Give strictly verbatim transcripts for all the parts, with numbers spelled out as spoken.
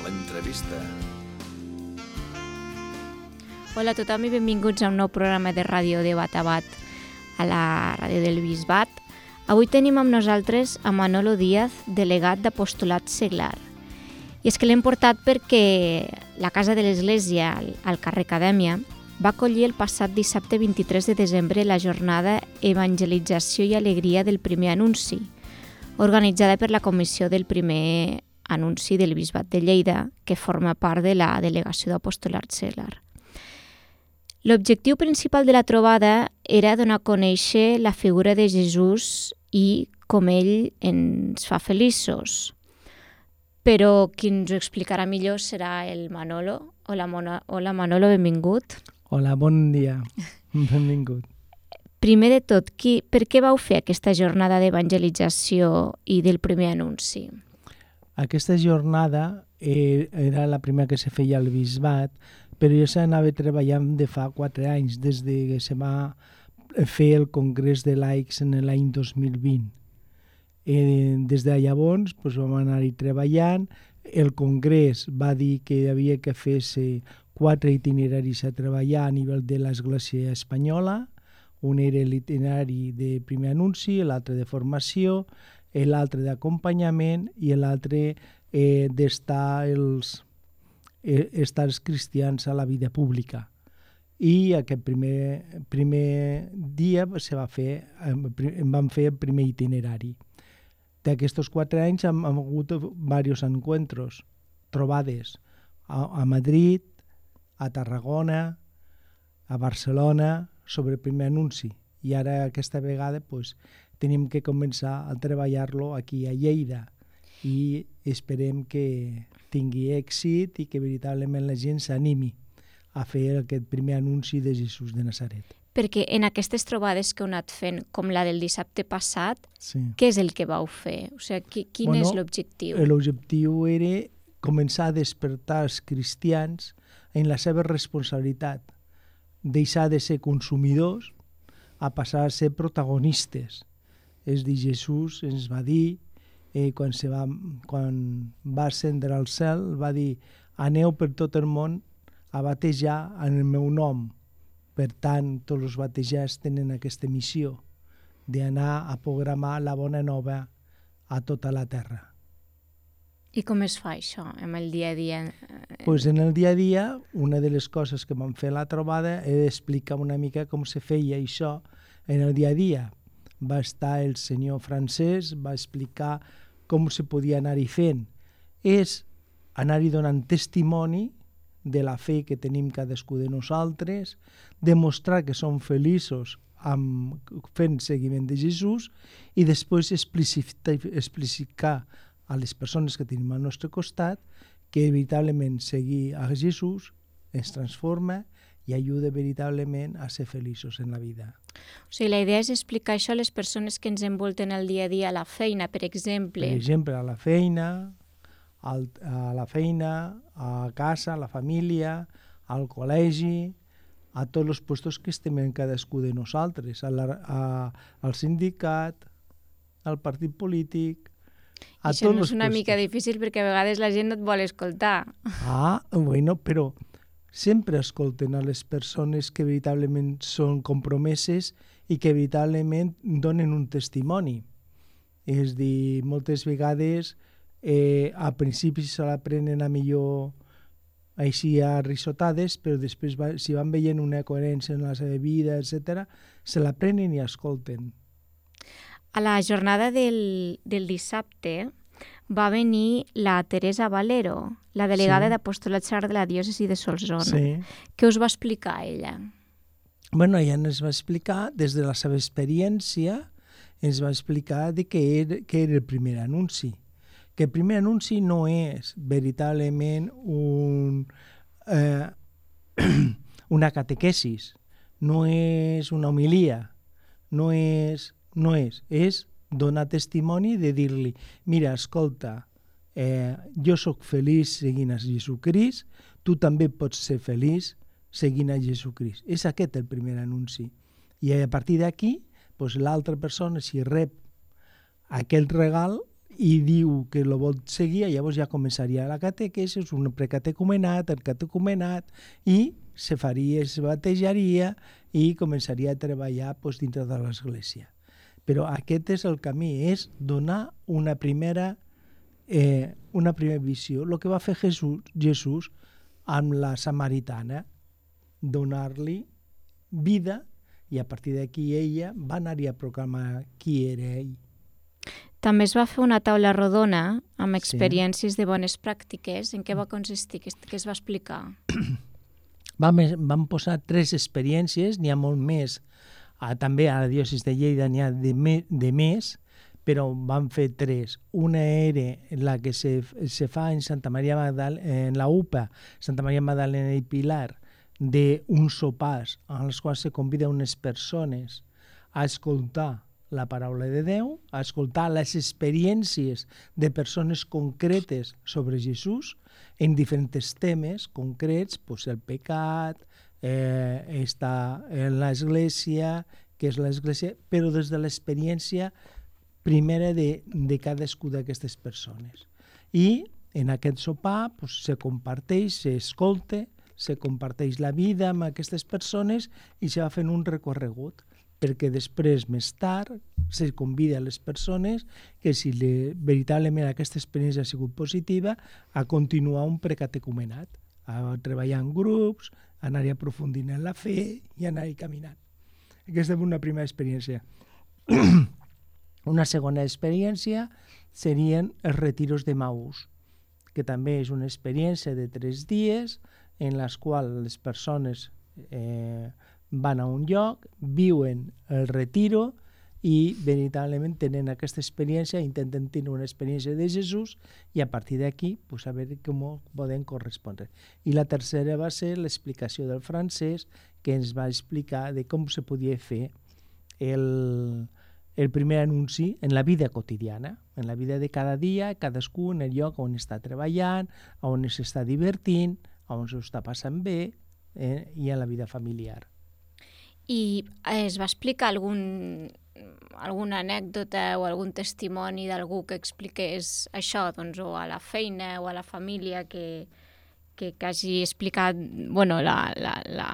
l'entrevista. Hola a tothom i benvinguts a un nou programa de ràdio de Bat a Bat a la ràdio del Bisbat. Avui tenim amb nosaltres a Manolo Díaz, delegat d'apostolat seglar. I és que l'hem portat perquè la Casa de l'Església, al carrer Acadèmia, va acollir el passat dissabte vint-i-tres de desembre la jornada Evangelització i Alegria del Primer Anunci, organitzada per la Comissió del Primer Anunci del Bisbat de Lleida, que forma part de la Delegació d'Apostolat Seglar. L'objectiu principal de la trobada era donar a conèixer la figura de Jesús i com ell ens fa feliços. Però qui ens ho explicarà millor serà el Manolo. Hola, Mona. Hola Manolo, benvingut. Hola, bon dia. Benvingut. Primer de tot, qui, per què vau fer aquesta jornada d'evangelització i del primer anunci? Aquesta jornada eh, era la primera que se feia al Bisbat, però jo s'anava treballant de fa quatre anys, des que se va fer el Congrés de Laics en l'any dos mil vint. Eh, des de llavors doncs, vam anar-hi treballant. El Congrés va dir que havia que fer-se quatre itineraris a treballar a nivell de l'Església espanyola. Un era l'itinerari de primer anunci, l'altre de formació, l'altre d'acompanyament i l'altre eh, d'estar els, eh, estar els cristians a la vida pública. I aquest primer, primer dia se va fer, em van fer el primer itinerari. D'aquests quatre anys hem, hem hagut diversos encuentros, trobades a, a Madrid, a Tarragona, a Barcelona, sobre el primer anunci. I ara aquesta vegada pues, tenim que començar a treballar-lo aquí a Lleida i esperem que tingui èxit i que veritablement la gent s'animi a fer aquest primer anunci de Jesús de Nazaret. Perquè en aquestes trobades que heu anat fent, com la del dissabte passat, sí. Què és el que vau fer? O sigui, quin bueno, és l'objectiu? L'objectiu era començar a despertar els cristians en la seva responsabilitat, deixar de ser consumidors a passar a ser protagonistes. És dir, Jesús ens va dir, eh, quan, se va, quan va ascendre al cel, va dir, aneu per tot el món a batejar en el meu nom. Per tant, tots els batejats tenen aquesta missió d'anar a programar la bona nova a tota la terra. I com es fa això, en el dia a dia? Pues en el dia a dia, una de les coses que vam fer a la trobada era explicar una mica com se feia això en el dia a dia. Va estar el senyor francès, va explicar com se podia anar-hi fent. És anar-hi donant testimoni de la fe que tenim cadascú de nosaltres, demostrar que som feliços amb, fent seguiment de Jesús i després explicitar, explicitar a les persones que tenim al nostre costat que veritablement seguir a Jesús ens transforma i ajuda veritablement a ser feliços en la vida. O sigui, la idea és explicar això a les persones que ens envolten el dia a dia a la feina, per exemple. Per exemple, a la feina, al, a la feina, a casa, a la família, al col·legi, a tots els puestos que estem en cadascú de nosaltres, a la, a, al sindicat, al partit polític, a això tots no és una puestos. Mica difícil perquè a vegades la gent no et vol escoltar. Ah, bueno, però sempre escolten a les persones que veritablement són compromeses i que veritablement donen un testimoni. És dir, moltes vegades eh, a principi se l'aprenen a millor així a risotades, però després va, si van veient una coherència en la seva vida, etcètera, se l'aprenen i escolten. A la jornada del, del dissabte va venir la Teresa Valero, la delegada sí. d'Apostolat Seglar de la diòcesi de Solsona. Sí. Què us va explicar ella? Bueno, ella ens va explicar, des de la seva experiència, ens va explicar de què era, què era el primer anunci. Que el primer anunci no és veritablement un, eh, una catequesis, no és una homilia, no és, no és, és donar testimoni de dir-li, mira, escolta, eh, jo sóc feliç seguint a Jesucrist, tu també pots ser feliç seguint a Jesucrist. És aquest el primer anunci. I a partir d'aquí, doncs, l'altra persona, si rep aquest regal, i diu que lo vol seguir, llavors ja començaria la catequesi, un precatecumenat, el catecumenat, i se faria, es batejaria i començaria a treballar pues, dintre de l'Església. Però aquest és el camí, és donar una primera, eh, una primera visió. El que va fer Jesús, Jesús amb la samaritana, donar-li vida, i a partir d'aquí ella va anar-hi a proclamar qui era ell. També es va fer una taula rodona amb experiències sí. de bones pràctiques. En què va consistir? Què es va explicar? Vam, vam posar tres experiències, n'hi ha molt més. Ah, també a la diòcesi de Lleida n'hi ha de, me, de més, però vam fer tres. Una era la que se, se fa en Santa Maria Magdalena, en la U P A, Santa Maria Magdalena i Pilar, d'uns sopars en els quals se convida unes persones a escoltar la paraula de Déu, a escoltar les experiències de persones concretes sobre Jesús en diferents temes concrets, pues el pecat, eh, està en l'Església, què és l'Església, però des de l'experiència primera de, de cadascú d'aquestes persones. I en aquest sopar pues, se comparteix, s'escolta, se comparteix la vida amb aquestes persones i se va fent un recorregut, perquè després, més tard, se convida a les persones que si le, veritablement aquesta experiència ha sigut positiva, a continuar un precatecumenat, a treballar en grups, a anar-hi aprofundint en la fe i anar-hi caminant. Aquesta és una primera experiència. Una segona experiència serien els retiros de Maús, que també és una experiència de tres dies en les quals les persones eh, van a un lloc, viuen el retiro i veritablement tenen aquesta experiència, intenten tenir una experiència de Jesús i a partir d'aquí pues, a veure com poden correspondre. I la tercera va ser l'explicació del francès, que ens va explicar de com se podia fer el, el primer anunci en la vida quotidiana, en la vida de cada dia, cadascú en el lloc on està treballant, on s'està divertint, on s'ho està passant bé eh, i en la vida familiar. I es va explicar algun, alguna anècdota o algun testimoni d'algú que expliqués això, doncs, o a la feina o a la família que, que, que hagi explicat bueno, la, la, la,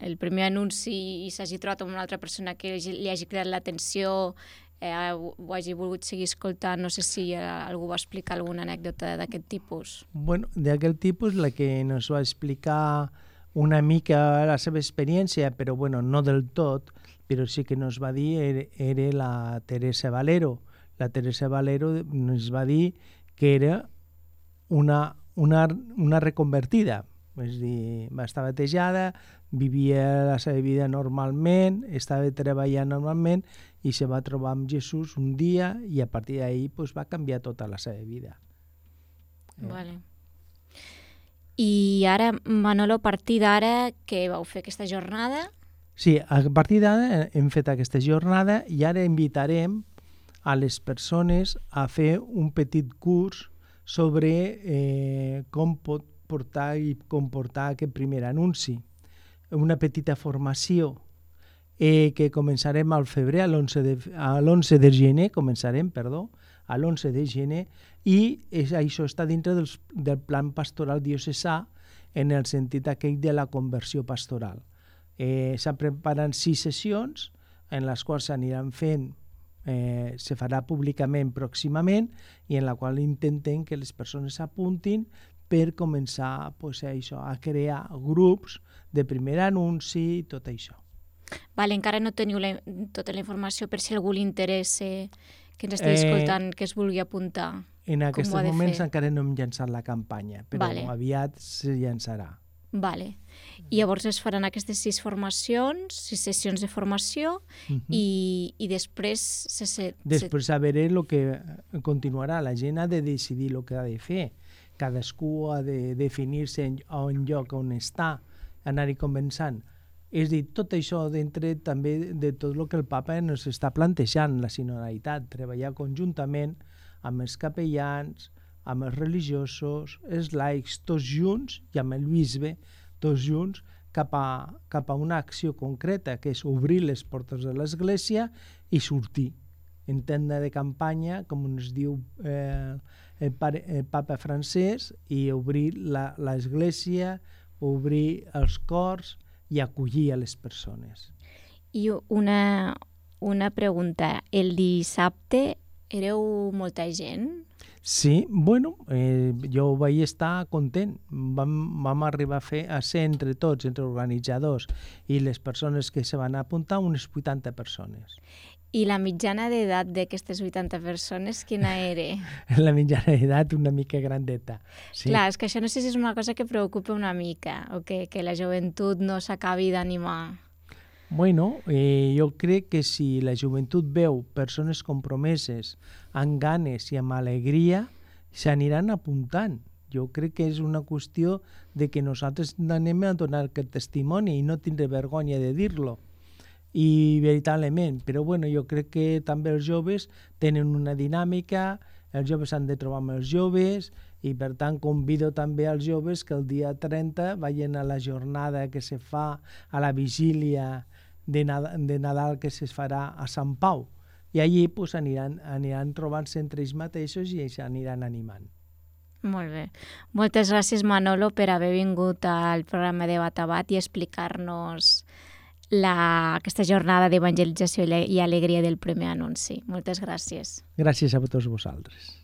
el primer anunci i s'hagi trobat amb una altra persona que li hagi cridat l'atenció, eh, ho hagi volgut seguir escoltant? No sé si algú va explicar alguna anècdota d'aquest tipus. Bueno, d'aquest tipus, la que ens va explicar una mica la seva experiència, però bueno, no del tot, però sí que ens va dir era, era la Teresa Valero. La Teresa Valero ens va dir que era una, una, una reconvertida, és a dir, va estar batejada, vivia la seva vida normalment, estava treballant normalment i se va trobar amb Jesús un dia i a partir d'ahir pues, va canviar tota la seva vida. Eh? Vale. I ara, Manolo, a partir d'ara, què vau fer aquesta jornada? Sí, a partir d'ara hem fet aquesta jornada i ara invitarem a les persones a fer un petit curs sobre eh, com pot portar i comportar aquest primer anunci. Una petita formació eh, que començarem al febrer, a l'onze de, a l'onze de gener, començarem, perdó, a l'onze de gener, i és, això està dintre dels, del plan pastoral diocesà en el sentit aquell de la conversió pastoral. Eh, S'han preparat sis sessions en les quals s'aniran fent, eh, se farà públicament pròximament i en la qual intentem que les persones s'apuntin per començar pues, això, a crear grups de primer anunci i tot això. Vale, encara no teniu la, tota la informació per si algú li interessa que ens estigui escoltant, eh, que es vulgui apuntar. En aquests moments encara no hem llançat la campanya, però vale. Aviat se llançarà. Vale. I llavors es faran aquestes sis formacions, sis sessions de formació, uh-huh. i, i després... Se, se, després se... a veure el que continuarà. La gent ha de decidir el que ha de fer. Cadascú ha de definir-se en, en lloc on està, anar-hi començant. És a dir, tot això dintre també de tot el que el papa ens està plantejant, la sinodalitat, treballar conjuntament amb els capellans, amb els religiosos, els laics, tots junts, i amb el bisbe, tots junts, cap a, cap a una acció concreta, que és obrir les portes de l'Església i sortir. en tenda de campanya, com ens diu eh, el, pare, el papa francès, i obrir l'església, obrir els cors i acollir a les persones. I una, una pregunta, el dissabte éreu molta gent? Sí, bueno, eh, jo vaig estar content. Vam, vam arribar a fer a ser entre tots, entre organitzadors i les persones que se van apuntar, unes vuitanta persones. I la mitjana d'edat d'aquestes vuitanta persones, quina era? La mitjana d'edat una mica grandeta. Sí. Clar, és que això no sé si és una cosa que preocupa una mica, o que, que la joventut no s'acabi d'animar. Bueno, eh, jo crec que si la joventut veu persones compromeses, amb ganes i amb alegria, s'aniran apuntant. Jo crec que és una qüestió de que nosaltres anem a donar aquest testimoni i no tindré vergonya de dir-lo. I veritablement, però bueno, jo crec que també els joves tenen una dinàmica, els joves han de trobar amb els joves i per tant convido també als joves que el dia trenta vagin a la jornada que se fa a la vigília de Nadal, de Nadal que se farà a Sant Pau i allí pues, aniran, aniran trobant-se entre ells mateixos i s'aniran animant. Molt bé. Moltes gràcies, Manolo, per haver vingut al programa de Batabat i explicar-nos la, aquesta jornada d'evangelització i alegria del primer anunci. Moltes gràcies. Gràcies a tots vosaltres.